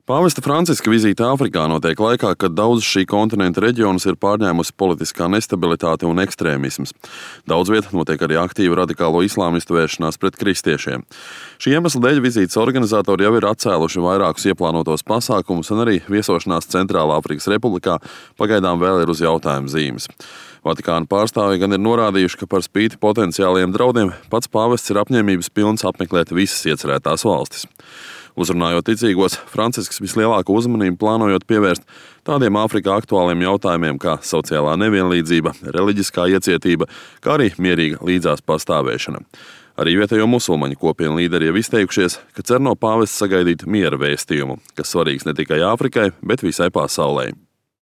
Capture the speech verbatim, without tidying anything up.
Pāvesta Franciska vizīte Āfrikā notiek laikā, kad daudzus šī kontinenta reģionus ir pārņēmusi politiskā nestabilitāte un ekstrēmisms. Daudz viet notiek arī aktīva radikālo islāmistu vēršanās pret kristiešiem. Šī iemesla dēļ vizītes organizatori jau ir atcēluši vairākus ieplānotos pasākumus, un arī viesošanās Centrālā Afrikas Republikā pagaidām vēl ir uz jautājumu zīmes. Vatikāna pārstāvji gan ir norādījuši, ka par spīti potenciāliem draudiem pats pāvests ir apņēmības pilns apmeklēt visas iecerētās valstis. Uzrunājot ticīgos, Francisks vislielāko uzmanību plānojot pievērst tādiem Āfrikā aktuāliem jautājumiem kā sociālā nevienlīdzība, reliģiskā iecietība, kā arī mierīga līdzās pastāvēšana. Arī vietējo musulmaņu kopienu līderi jau izteikušies, ka cer no pāvesta sagaidīt miera vēstījumu, kas svarīgs ne tikai Āfrikai, bet visai pasaulei.